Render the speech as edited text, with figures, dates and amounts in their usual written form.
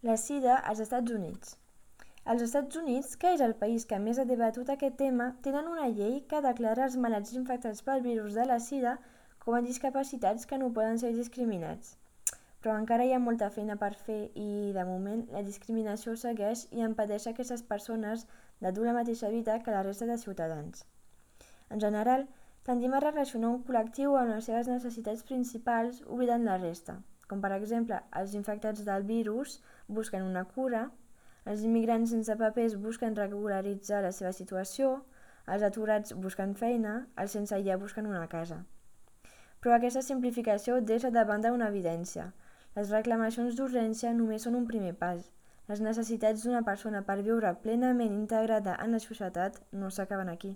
La sida als Estats Units. Als Estats Units, que és el país que més ha debatut aquest tema, tenen una llei que declara els malalts infectats pel virus de la sida com a discapacitats que no poden ser discriminats. Però encara hi ha molta feina per fer i, de moment, la discriminació segueix i impedeix a aquestes persones de dur la mateixa vida que la resta de ciutadans. En general, tendim a relacionar un col·lectiu amb les seves necessitats principals oblidant la resta, com per exemple els infectats del virus busquen una cura, els immigrants sense papers busquen regularitzar la seva situació, els aturats busquen feina, els sense llar busquen una casa. Però aquesta simplificació deixa de banda una evidència. Les reclamacions d'urgència només són un primer pas. Les necessitats d'una persona per viure plenament integrada en la societat no s'acaben aquí.